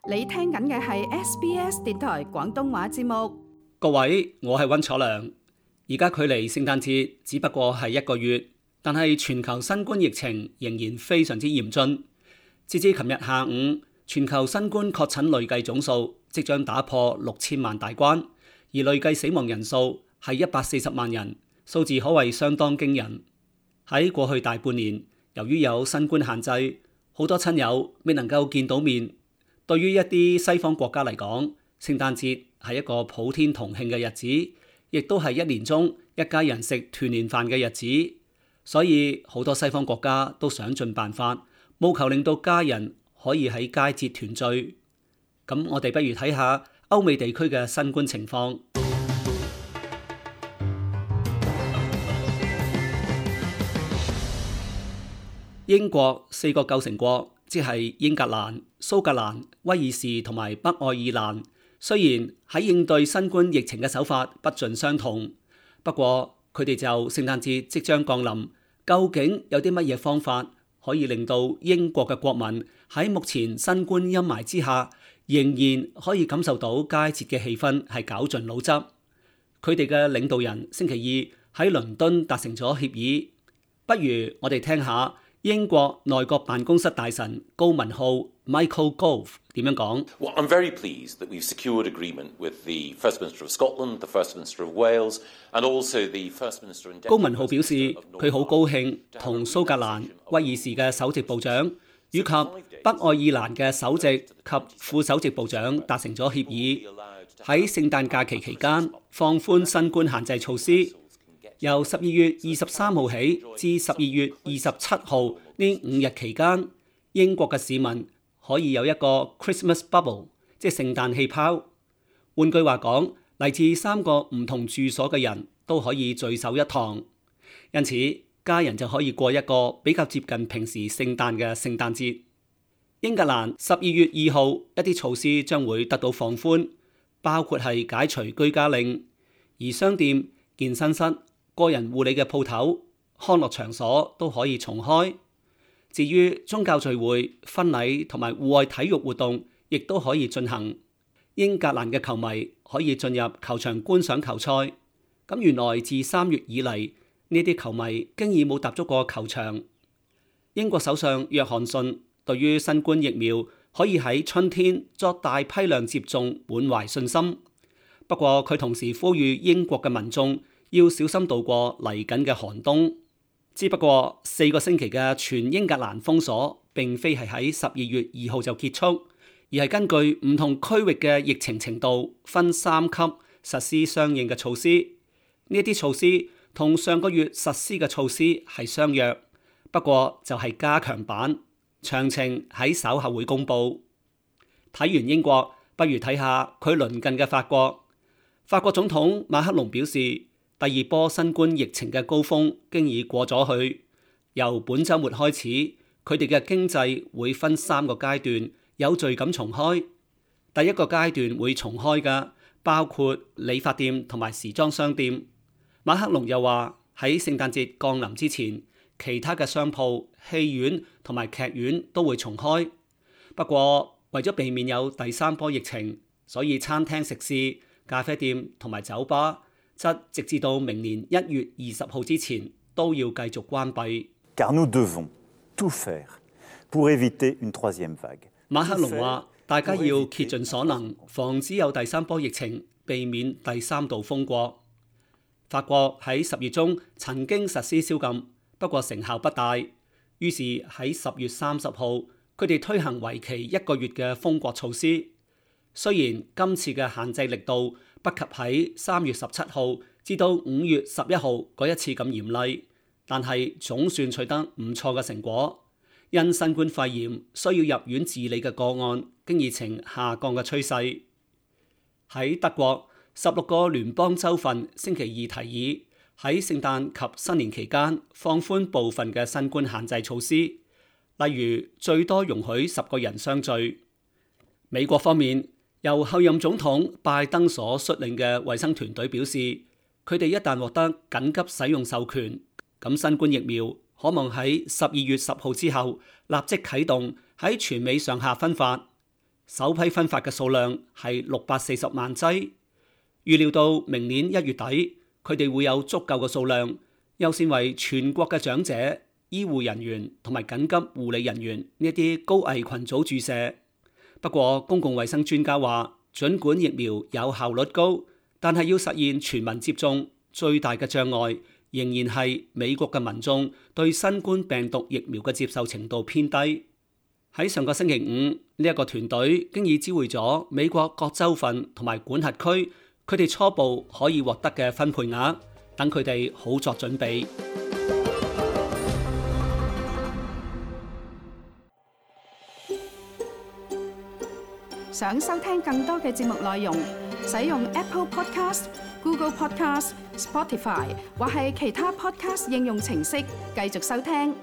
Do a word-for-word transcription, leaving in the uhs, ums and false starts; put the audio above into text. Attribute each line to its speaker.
Speaker 1: 你聽緊嘅係 S B S 電台廣東話節目。
Speaker 2: 各位，我係溫楚良。而家距離聖誕節只不過係一個月，但係全球新冠疫情仍然非常之嚴峻。截至琴日下午，全球新冠確診累計總數即將打破六千萬大關，而累計死亡人數係一百四十萬人，數字可謂相當驚人。喺過去大半年，由於有新冠限制，好多親友未能夠見到面。對於一啲西方國家嚟講，聖誕節係一個普天同慶嘅日子，亦都係一年中一家人食團年飯嘅日子。所以好多西方國家都想盡辦法，務求令到家人可以喺佳節團聚。咁我哋不如睇下歐美地區嘅新冠情況。英國四個構成國，即係英格蘭、蘇格蘭、威爾士同埋北愛爾蘭，雖然喺應對新冠疫情嘅手法不盡相同，不過佢哋就聖誕節即將降臨，究竟有啲乜嘢方法可以令到英國嘅國民喺目前新冠陰霾之下，仍然可以感受到佳節嘅氣氛，係絞盡腦汁。佢哋嘅領導人星期二喺倫敦達成咗協議，不如我哋聽下英國內閣辦公室大臣高文浩 Michael Gove 點樣講？
Speaker 3: Well, I'm very pleased that we've secured agreement with the First Minister of Scotland, the First Minister of Wales, and also the First Minister and Deputy
Speaker 2: 高文浩表示，佢好高興同蘇格蘭、威爾士嘅首席部長以及北愛爾蘭嘅首席及副首席部長達成咗協議，喺聖誕假期期間放寬新冠限制措施。由十二月二十三號起至十二月二十七號呢五日期間，英國嘅市民可以有一個 Christmas bubble， 即係聖誕氣泡。換句話講，嚟自三個唔同住所嘅人都可以聚首一堂，因此家人就可以過一個比較接近平時聖誕嘅聖誕節。英格蘭十二月二號一啲措施將會得到放寬，包括係解除居家令，而商店、健身室、個人護理嘅鋪頭、康樂場所都可以重開。至於宗教聚會、婚禮同埋戶外體育活動，亦都可以進行。英格蘭嘅球迷可以進入球場觀賞球賽。咁原來自三月以嚟，呢啲球迷經已冇踏足過球場。英國首相約翰遜對於新冠疫苗可以喺春天作大批量接種滿懷信心。不過佢同時呼籲英國嘅民眾要小心度過嚟緊嘅寒冬。只不過四個星期嘅全英格蘭封鎖並非係喺十二月二號就結束，而係根據唔同區域嘅疫情程度分三級實施相應嘅措施。呢啲措施同上個月實施嘅措施係相若，不過就係加強版，詳情喺稍後會公佈。睇完英國，不如睇下佢鄰近嘅法國。法國總統馬克龍表示，第二波新冠疫情嘅高峰經已過咗去，由本週末開始，佢哋嘅經濟會分三個階段有序咁重開。第一個階段會重開嘅包括理髮店同埋時裝商店。馬克龍又話喺聖誕節降臨之前，其他嘅商鋪、戲院同埋劇院都會重開。不過為咗避免有第三波疫情，所以餐廳、食肆、咖啡店同埋酒吧則直至到明年一月二十號之前都要繼續關閉。
Speaker 4: Car nous devons tout faire pour éviter une troisième vague。
Speaker 2: 馬克龍話：大家要竭盡所能，防止有第三波疫情，避免第三度封國。法國喺十月中曾經實施宵禁，不過成效不大。於是喺十月三十號，佢哋推行為期一個月嘅封國措施。雖然今次嘅限制力度不及喺三月十七號至到五月十一號嗰一次咁嚴厲，但係總算取得唔錯嘅成果。因新冠肺炎需要入院治理嘅個案，經已呈下降嘅趨勢。喺德國，十六個聯邦州份星期二提議喺聖誕及新年期間放寬部分嘅新冠限制措施，例如最多容許十個人相聚。美國方面，由後任總統拜登所率領嘅衛生團隊表示，佢哋一旦獲得緊急使用授權，咁新冠疫苗可望喺十二月十號之後立即啟動喺全美上下分發。首批分發嘅數量係六百四十萬劑。預料到明年一月底，佢哋會有足夠嘅數量，優先為全國嘅長者、醫護人員同埋緊急護理人員呢一啲高危群組注射。不過，公共衛生專家話，儘管疫苗有效率高，但係要實現全民接種，最大嘅障礙仍然係美國嘅民眾對新冠病毒疫苗嘅接受程度偏低。喺上個星期五，呢一個團隊經已知會咗美國各州份同埋管轄區，佢哋初步可以獲得嘅分配額，等佢哋好作準備。
Speaker 1: 想收聽更多嘅節目內容，使用 Apple Podcast、Google Podcast、Spotify 或係其他 Podcast 應用程式繼續收聽。